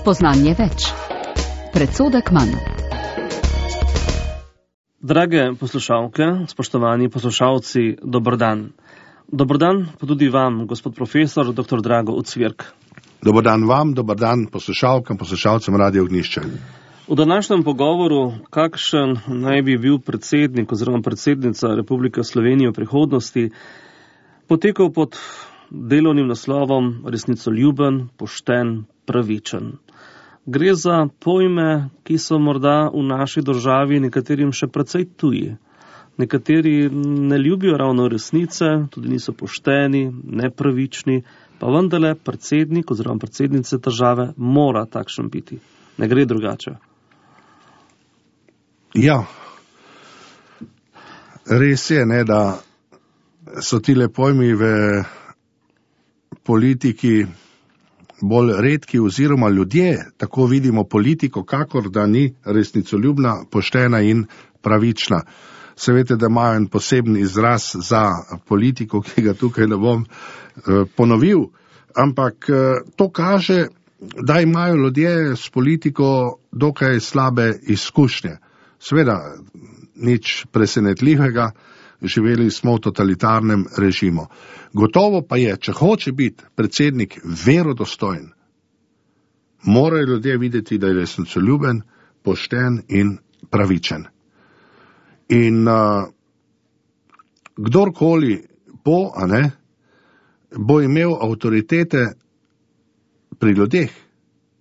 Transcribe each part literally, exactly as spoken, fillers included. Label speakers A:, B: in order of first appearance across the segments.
A: Spoznanje več. Predsodek manj.
B: Drage poslušalke, spoštovani poslušalci, dober dan. Dober dan pa tudi vam, gospod profesor, doktor Drago Ucvirk.
C: Dober dan vam, dober dan poslušalkam, poslušalcem Radio Ognjišče.
B: V današnjem pogovoru, kakšen naj bi bil predsednik oziroma predsednica Republike Slovenije v prihodnosti, potekal pod delovnim naslovom resnicoljuben, pošten, pravičen. Gre za pojme, ki so morda v naši državi nekaterim še precej tuji. Nekateri ne ljubijo ravno resnice, tudi niso pošteni, nepravični, pa vendarle predsednik oziroma predsednice države mora takšen biti. Ne gre drugače.
C: Ja, res je, ne, da so tile pojmi v politiki bolj redki oziroma ljudje, tako vidimo politiko, kakor da ni resnicoljubna, poštena in pravična. Se veste, da imajo en poseben izraz za politiko, ki ga tukaj ne bom eh, ponovil, ampak eh, to kaže, da imajo ljudje s politiko dokaj slabe izkušnje. Seveda, nič presenetljivega, živeli smo v totalitarnem režimu. Gotovo pa je, če hoče biti predsednik verodostojen, morajo ljudje videti, da je resnicoljuben, pošten in pravičen. In uh, kdorkoli bo, a ne, bo imel avtoritete pri ljudeh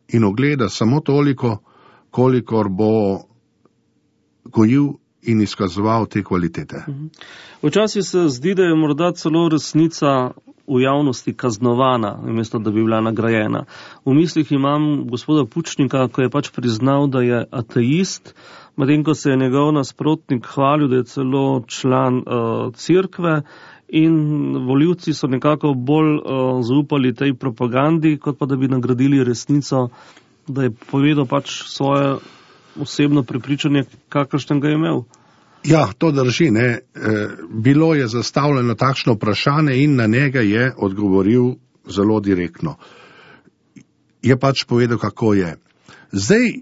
C: in ogleda samo toliko, kolikor bo gojil in izkazoval te kvalitete.
B: Včasih se zdi, da je morda celo resnica v javnosti kaznovana, namesto da bi bila nagrajena. V mislih imam gospoda Pučnika, ko je pač priznal, da je ateist, medtem ko se je njegov nasprotnik hvalil, da je celo član uh, cerkve, in volivci so nekako bolj uh, zaupali tej propagandi, kot pa da bi nagradili resnico, da je povedal pač svoje osebno prepričanje, kakršen ga je imel.
C: Ja, to drži, ne. E, bilo je zastavljeno takšno vprašanje in na njega je odgovoril zelo direktno. Je pač povedal, kako je. Zdaj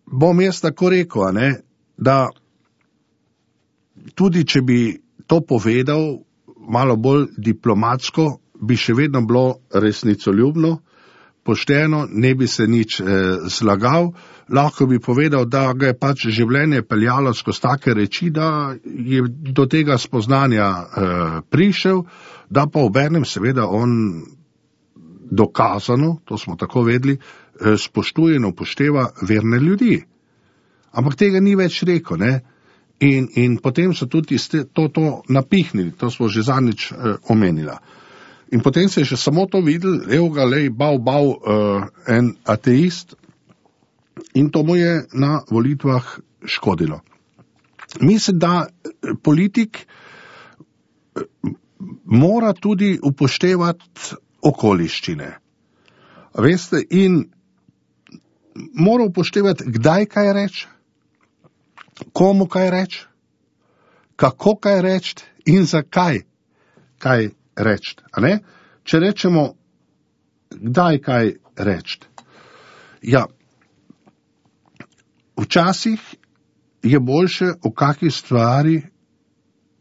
C: bom jaz tako rekel, ne, da tudi če bi to povedal malo bolj diplomatsko, bi še vedno bilo resnicoljubno, pošteno, ne bi se nič eh, zlagal, lahko bi povedal, da ga je pač življenje peljalo skozi take reči, da je do tega spoznanja eh, prišel, da pa obenem seveda on dokazano, to smo tako vedeli, eh, spoštuje in upošteva verne ljudi. Ampak tega ni več rekel, ne? In, in potem so tudi to, to napihnili, to smo že zadnjič eh, omenila. In potem se je še samo to videl, evo ga, lej, bav, bav, uh, en ateist, in to mu je na volitvah škodilo. Mislim, da politik mora tudi upoštevati okoliščine. Veste, in mora upoštevati, kdaj kaj reči, komu kaj reči, kako kaj reči in zakaj kaj reči, a ne? Če rečemo, kdaj kaj reči. Ja, včasih je boljše o kakšni stvari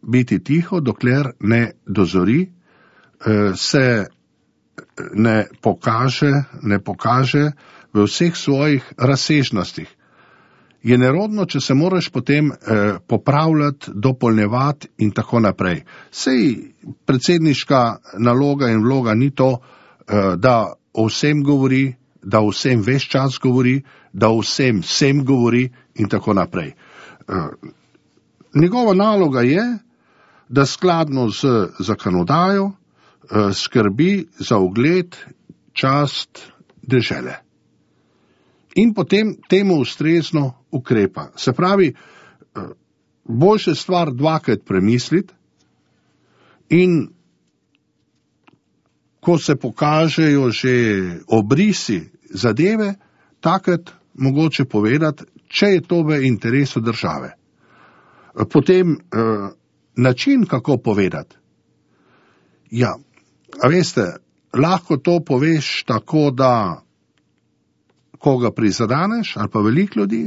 C: biti tiho, dokler ne dozori, se ne pokaže, ne pokaže v vseh svojih razsežnostih. Je nerodno, če se moraš potem eh, popravljati, dopolnjevati in tako naprej. Sej predsedniška naloga in vloga ni to, eh, da o vsem govori, da o vsem ves čas govori, da o vsem vsem govori in tako naprej. Eh, njegova naloga je, da skladno z zakonodajo eh, skrbi za ugled, čast dežele. In potem temu ustrezno ukrepa. Se pravi, boljše stvar dvakrat premisliti in ko se pokažejo že obrisi zadeve, takrat mogoče povedati, če je to v interesu države. Potem način, kako povedati. Ja, a veste, lahko to poveš tako, da koga prizadaneš, ali pa veliko ljudi,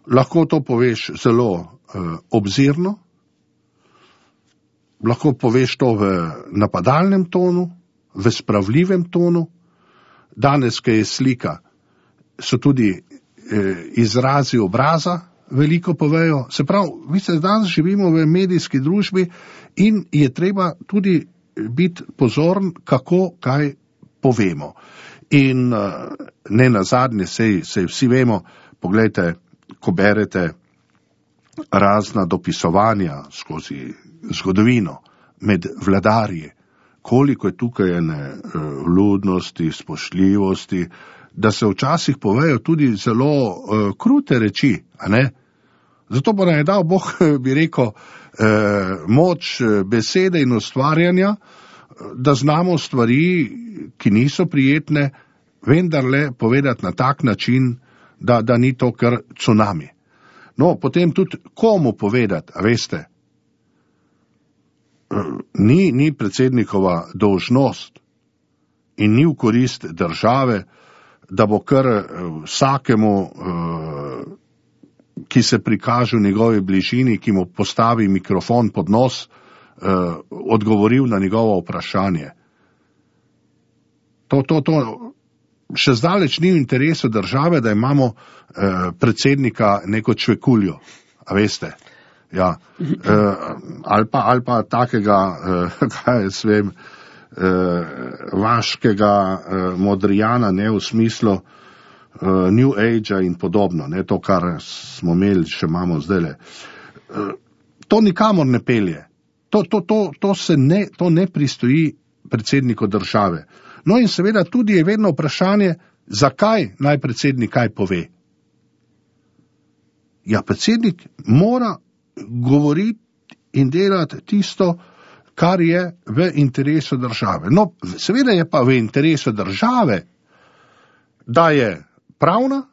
C: lahko to poveš zelo uh, obzirno, lahko poveš to v napadalnem tonu, v spravljivem tonu. Danes, ko je slika, so tudi eh, izrazi obraza veliko povejo. Se pravi, mi se danes živimo v medijski družbi in je treba tudi biti pozoren, kako kaj povemo. In uh, ne nazadnje, sej, sej vsi vemo, poglejte, ko berete razna dopisovanja skozi zgodovino med vladarji, koliko je tukaj ene uh, vljudnosti, spoštljivosti, da se včasih povejo tudi zelo uh, krute reči, a ne? Zato bo nam je dal Bog, bi rekel, uh, moč besede in ustvarjanja, da znamo stvari, ki niso prijetne, vendarle povedati na tak način, da, da ni to kar cunami. No, potem tudi komu povedati, a veste, ni, ni predsednikova dolžnost in ni v korist države, da bo kar vsakemu, ki se prikaže v njegovi bližini, ki mu postavi mikrofon pod nos, odgovoril na njegovo vprašanje. To, to, to še zdaleč ni v interesu države, da imamo predsednika neko čvekuljo, a veste. Ja, eh, ali, pa, ali pa takega, eh, kaj jaz vem, eh, vaškega eh, modrijana, ne v smislu eh, New Age-a in podobno, ne to, kar smo imeli, še imamo zdajle. Eh, to nikamor ne pelje. To, to, to, to, se ne, to ne pristoji predsedniku države. No in seveda tudi je vedno vprašanje, zakaj naj predsednik kaj pove. Ja, predsednik mora govoriti in delati tisto, kar je v interesu države. No, seveda je pa v interesu države, da je pravna,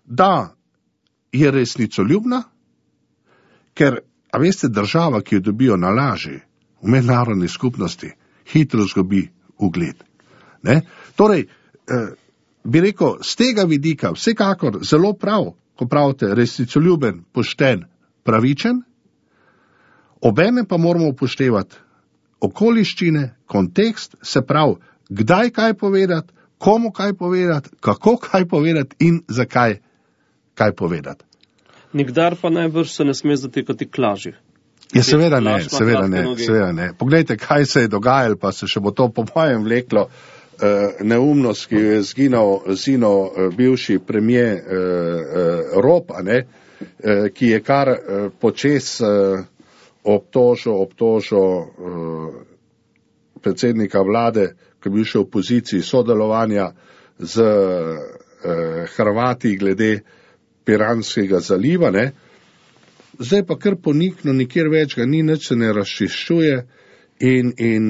C: da je resnicoljubna, ker, a veste, država, ki jo dobijo na laži v mednarodni skupnosti, hitro zgubi ugled. Ne? Torej, eh, bi rekel, z tega vidika vsekakor zelo prav, ko pravite, resnicoljuben, pošten, pravičen, obene pa moramo upoštevati okoliščine, kontekst, se pravi, kdaj kaj povedati, komu kaj povedati, kako kaj povedati in zakaj kaj povedati.
B: Nikdar pa najbrž se ne sme zatekati k laži.
C: Ja, seveda ne, seveda ne, seveda ne. Poglejte, kaj se je dogajalo, pa se še bo to po mojem vleklo. Uh, neumnost, ki jo je zginal, zinal uh, bivši premijer uh, uh, Rop, a ne, uh, ki je kar uh, počes uh, obtožil, obtožil uh, predsednika vlade, ki je bil še v poziciji sodelovanja z uh, Hrvati glede Piranskega zaliva, ne. Zdaj pa kar ponikno, nikjer več ga ni, nič se ne razčiščuje in, in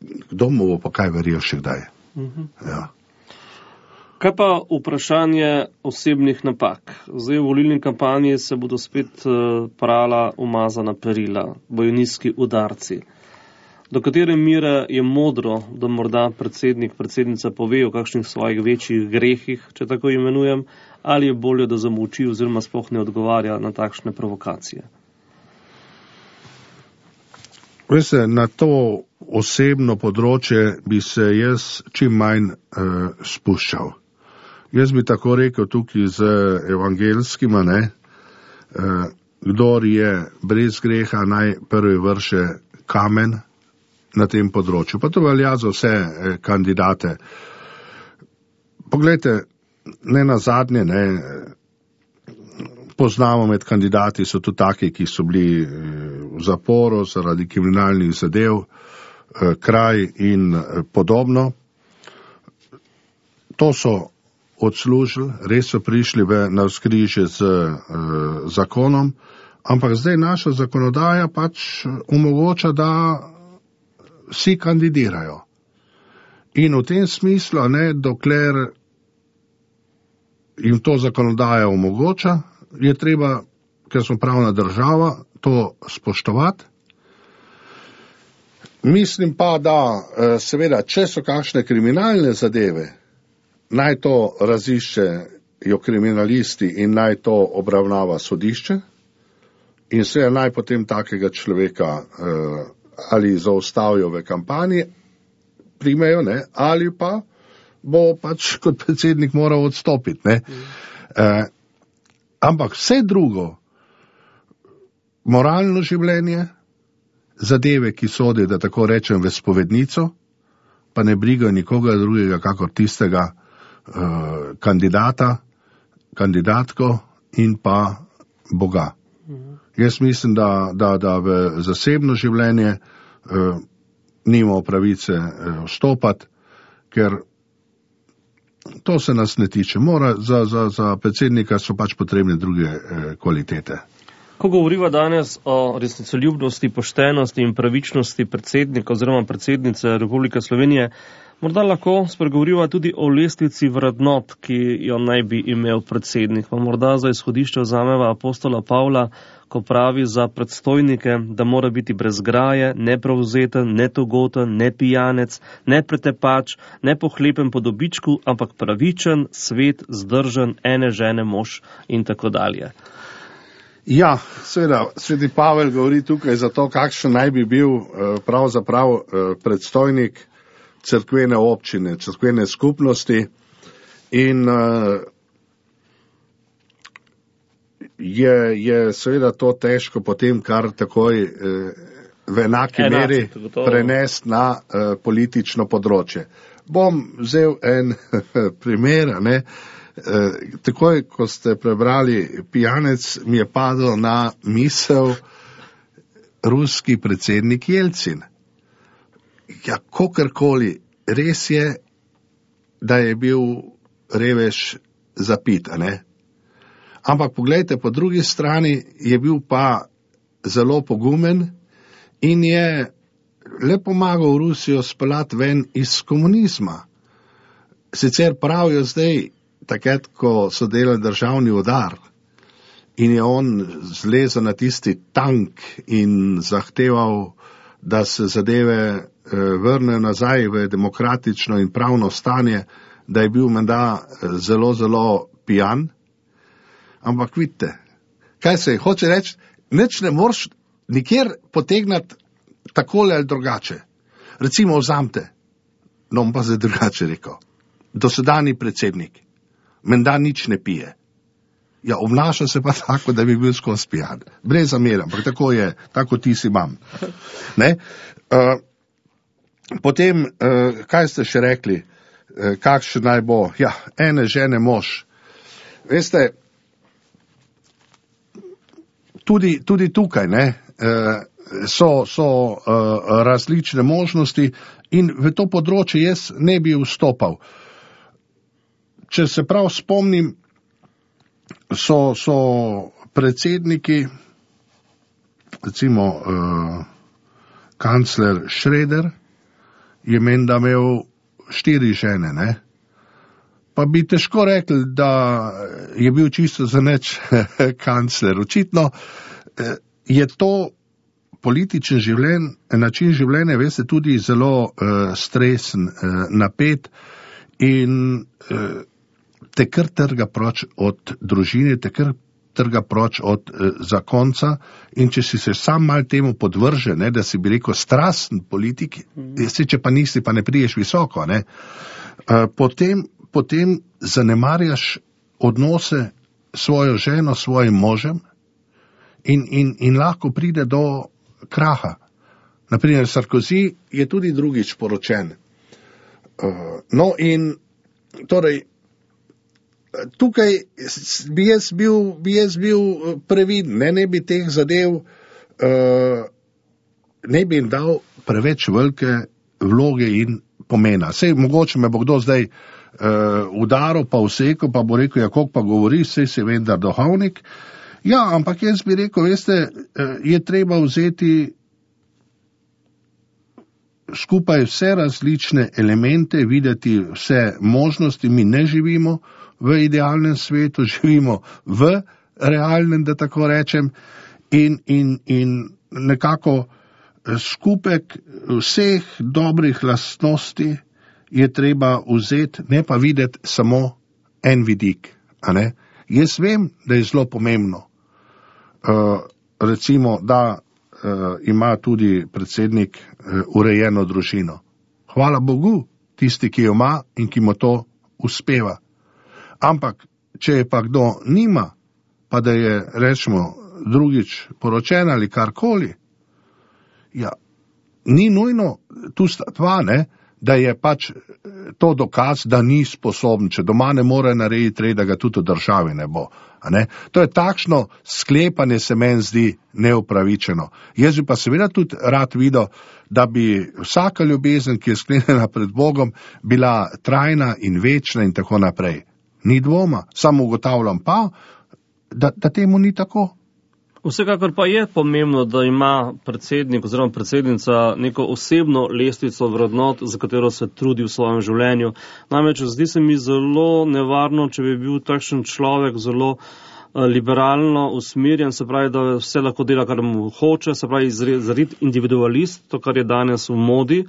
C: kdo mu bo pa kaj verjel še kdaj? Uh-huh. Ja.
B: Kaj pa vprašanje osebnih napak? Zdaj v volilni kampanji se bodo spet prala umazana perila, bojnijski udarci. Do katere mere je modro, da morda predsednik, predsednica pove o kakšnih svojih večjih grehih, če tako imenujem, ali je bolje, da zamolči oziroma sploh ne odgovarja na takšne provokacije?
C: Veste, na to osebno področje bi se jaz čim manj uh, spuščal. Jaz bi tako rekel tukaj z evangelskima, ne, uh, kdor je brez greha, naj prvi vrše kamen na tem področju. Pa to velja za vse eh, kandidate. Poglejte, ne nazadnje, ne, poznamo med kandidati, so tudi taki, ki so bili v zaporu zaradi kriminalnih zadev, kraj in podobno. To so odslužili, res so prišli v navzkrižje z uh, zakonom, ampak zdaj naša zakonodaja pač omogoča, da vsi kandidirajo. In v tem smislu, ne, dokler jim to zakonodaja omogoča, je treba, ker smo pravna država, to spoštovati. Mislim pa, da seveda, če so kakšne kriminalne zadeve, naj to raziščejo kriminalisti in naj to obravnava sodišče in se naj potem takega človeka uh, ali zaustavijo v kampanji, primejo, ne, ali pa bo pač kot predsednik moral odstopiti. Ne. Mm. Uh, ampak vse drugo, moralno življenje, zadeve, ki sodijo, da tako rečem, v spovednico, pa ne brigajo nikoga drugega, kakor tistega uh, kandidata, kandidatko in pa Boga. Mhm. Jaz mislim, da, da, da v zasebno življenje uh, nimamo pravice uh, vstopati, ker to se nas ne tiče. Mora, za, za, za predsednika so pač potrebne druge uh, kvalitete.
B: Ko govoriva danes o resnicoljubnosti, poštenosti in pravičnosti predsednika oziroma predsednice Republike Slovenije, morda lahko spregovoriva tudi o lestvici vrednot, ki jo naj bi imel predsednik. Pa morda za izhodišče vzameva apostola Pavla, ko pravi za predstojnike, da mora biti brez graje, neprevzeten, netogoten, ne pijanec, ne pretepač, ne pohlepen po dobičku, ampak pravičen, svet, zdržen, ene žene mož in tako dalje.
C: Ja, seveda, sveti Pavel govori tukaj za to, kakšen naj bi bil pravzaprav predstojnik cerkvene občine, cerkvene skupnosti in je, je seveda to težko potem kar takoj v enaki Enak, meri prenesti na politično področje. Bom vzel en primer, ne. Eh, takoj, ko ste prebrali pijanec, mi je padel na misel ruski predsednik Jelcin. Ja, kakorkoli, res je, da je bil revež zapit, a ne? Ampak poglejte, po drugi strani je bil pa zelo pogumen in je le pomagal Rusijo speljati ven iz komunizma. Sicer pravijo zdaj, takrat, ko so delali državni udar in je on zlezel na tisti tank in zahteval, da se zadeve eh, vrnejo nazaj v demokratično in pravno stanje, da je bil menda zelo, zelo pijan. Ampak vidite, kaj se hoče reči, nič ne moreš nikjer potegnati takole ali drugače. Recimo vzamte, no bom pa zdaj drugače rekel, dosedanji predsednik menda nič ne pije. Ja, obnaša se pa tako, da bi bil skozi pijan. Brez zamere, ampak tako je, tako ti si imam. Ne? Uh, potem, uh, kaj ste še rekli, uh, kakšen naj bo? Ja, ene žene mož. Veste, tudi, tudi tukaj, ne, uh, so, so uh, različne možnosti in v to področje jaz ne bi vstopal. Če se prav spomnim, so, so predsedniki, recimo uh, kancler Schröder, je menda imel štiri žene, ne? Pa bi težko rekli, da je bil čisto za nič kancler. Očitno uh, je to političen življenj, način življenja, veste, tudi zelo uh, stresen, uh, napet in uh, te kar trga proč od družine, te kar trga proč od eh, zakonca in če si se sam mal temu podvrže, ne, da si bi rekel strasten politik, mm. se, če pa nisi, pa ne priješ visoko, ne, eh, potem, potem zanemarjaš odnose svojo ženo, svojim možem in, in, in lahko pride do kraha. Naprimer, Sarkozy je tudi drugič poročen. Uh, no in torej, tukaj bi jaz bil, bi jaz bil previden, ne, ne bi teh zadev, uh, ne bi jim dal preveč velike vloge in pomena. Sej mogoče me bo kdo zdaj uh, udaril, pa vsekal, pa bo rekel, ja, koliko pa govori, sej si vendar duhovnik. Ja, ampak jaz bi rekel, veste, uh, je treba vzeti skupaj vse različne elemente, videti vse možnosti, mi ne živimo v idealnem svetu, živimo v realnem, da tako rečem, in, in, in nekako skupek vseh dobrih lastnosti je treba vzeti, ne pa videti samo en vidik. A ne? Jaz vem, da je zelo pomembno, uh, recimo, da uh, ima tudi predsednik uh, urejeno družino. Hvala Bogu, tisti, ki jo ima in ki mu to uspeva. Ampak, če je pa kdo nima, pa da je, rečemo, drugič poročen ali karkoli, ja, ni nujno, tu sta dva, ne, da je pač to dokaz, da ni sposoben, če doma ne more narediti red, da ga tudi v državi ne bo. A ne? To je takšno sklepanje, se meni zdi neupravičeno. Jaz bi pa seveda tudi rad videl, da bi vsaka ljubezen, ki je sklenjena pred Bogom, bila trajna in večna in tako naprej. Ni dvoma, samo ugotavljam pa, da, da temu ni tako.
B: Vsekakor pa je pomembno, da ima predsednik oziroma predsednica neko osebno lestvico vrednot, za katero se trudi v svojem življenju. Namreč zdi se mi zelo nevarno, če bi bil takšen človek zelo liberalno usmerjen, se pravi, da vse lahko dela, kar mu hoče, se pravi, zarit individualist, to, kar je danes v modi.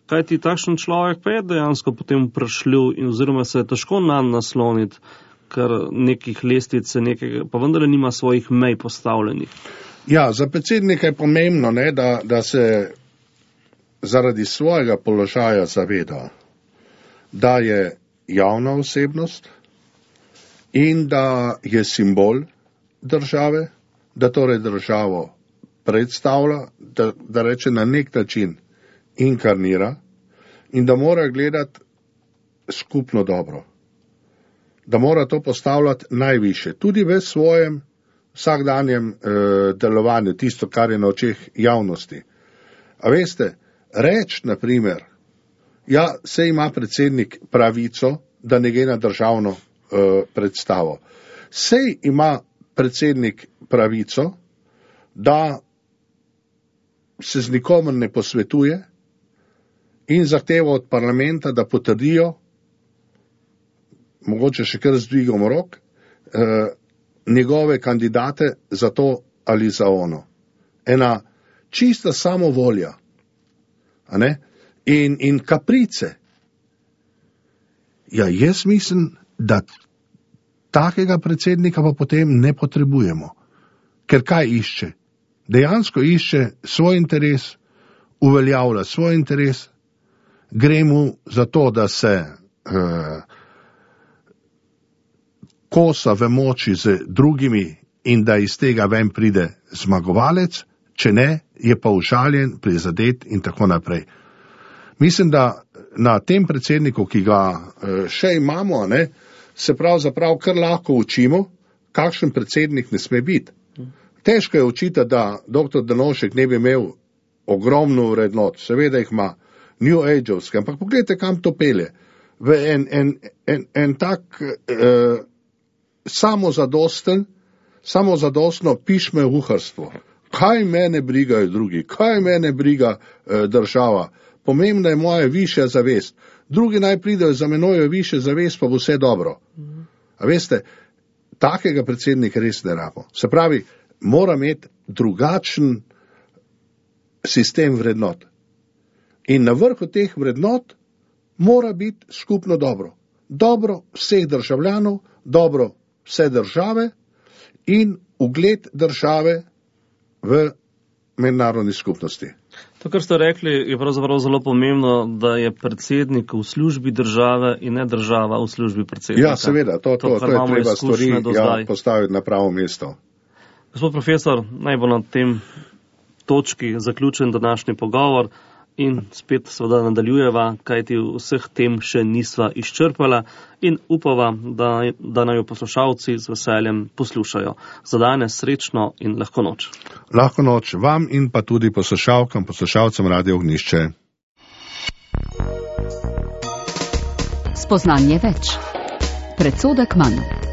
B: Kaj ti takšen človek pa je dejansko potem vprašljiv in oziroma se je težko nanj nasloniti, ker nekih lestvice, nekega, pa vendar nima svojih mej postavljenih.
C: Ja, za predsednika je pomembno, ne, da, da se zaradi svojega položaja zaveda, da je javna osebnost in da je simbol države, da torej državo predstavlja, da, da reče na nek način inkarnira in da mora gledati skupno dobro. Da mora to postavljati najviše, tudi v svojem vsakdanjem eh, delovanju, tisto, kar je na očeh javnosti. A veste, reč, na primer, ja, se ima predsednik pravico, da ne gre na državno eh, predstavo. Sej ima predsednik pravico, da se z nikomer ne posvetuje in zahteva od parlamenta, da potrdijo, mogoče še kar z dvigom rok, eh, njegove kandidate za to ali za ono. Ena čista samovolja, a ne? In, in kaprice. Ja, jaz mislim, da takega predsednika pa potem ne potrebujemo. Ker kaj išče? Dejansko išče svoj interes, uveljavlja svoj interes, gre mu za to, da se eh, kosa v moči z drugimi in da iz tega ven pride zmagovalec, če ne, je pa užaljen, prizadet in tako naprej. Mislim, da na tem predsedniku, ki ga še imamo, ne, se pravzaprav kar lahko učimo, kakšen predsednik ne sme biti. Težko je učiti, da doktor Drnovšek ne bi imel ogromno vrednot, seveda jih ima New Age-ovske, ampak pogledajte, kam to pelje. V en, en, en, en tak eh, samozadosten, samozadostno pišme uharstvo. Kaj mene brigajo drugi, kaj mene briga eh, država. Pomembna je moja višja zavest. Drugi naj pridejo za menoj višje zavest, pa bo vse dobro. A veste, takega predsednika res ne rabo. Se pravi, mora imeti drugačen sistem vrednot. In na vrhu teh vrednot mora biti skupno dobro. Dobro vseh državljanov, dobro vse države in ugled države v mednarodni skupnosti.
B: To, kar ste rekli, je pravzaprav zelo pomembno, da je predsednik v službi države in ne država v službi predsednika.
C: Ja, seveda, to, to, to, to je treba stvari ja, postaviti na pravo mesto.
B: Gospod profesor, naj bo na tem točki zaključen današnji pogovor in spet seveda nadaljujeva, kajti vseh tem še nisva izčrpala in upava, da, da naj jo poslušalci z veseljem poslušajo. Za danes srečno in lahko noč.
C: Lahko noč vam in pa tudi poslušalkam, poslušalcem Radio Ognjišče.
A: Spoznanje več. Predsodek manj.